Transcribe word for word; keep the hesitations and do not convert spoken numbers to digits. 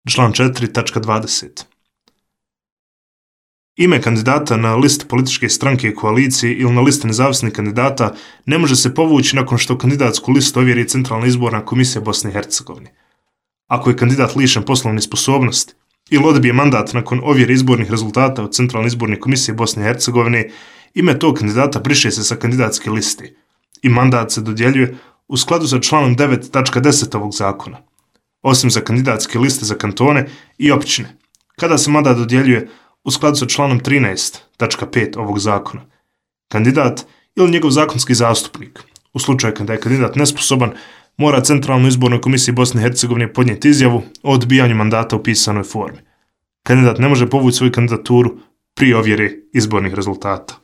Član četiri tačka dvadeset. Ime kandidata na listi političke stranke i koalicije ili na listi nezavisnih kandidata ne može se povući nakon što kandidatsku listu ovjeri Centralna izborna komisija Bosne i Hercegovine. Ako je kandidat lišen poslovne sposobnosti ili odbije mandat nakon ovjere izbornih rezultata od Centralne izborne komisije Bosne i Hercegovine, ime tog kandidata briše se sa kandidatske liste i mandat se dodjeljuje u skladu sa članom devet tačka deset ovog zakona, osim za kandidatske liste za kantone i općine, kada se mandat dodjeljuje u skladu sa članom trinaest tačka pet ovog zakona. Kandidat ili njegov zakonski zastupnik, u slučaju kada je kandidat nesposoban, mora Centralnoj izbornoj komisiji Bosne i Hercegovine podnijeti izjavu o odbijanju mandata u pisanoj formi. Kandidat ne može povući svoju kandidaturu prije ovjere izbornih rezultata.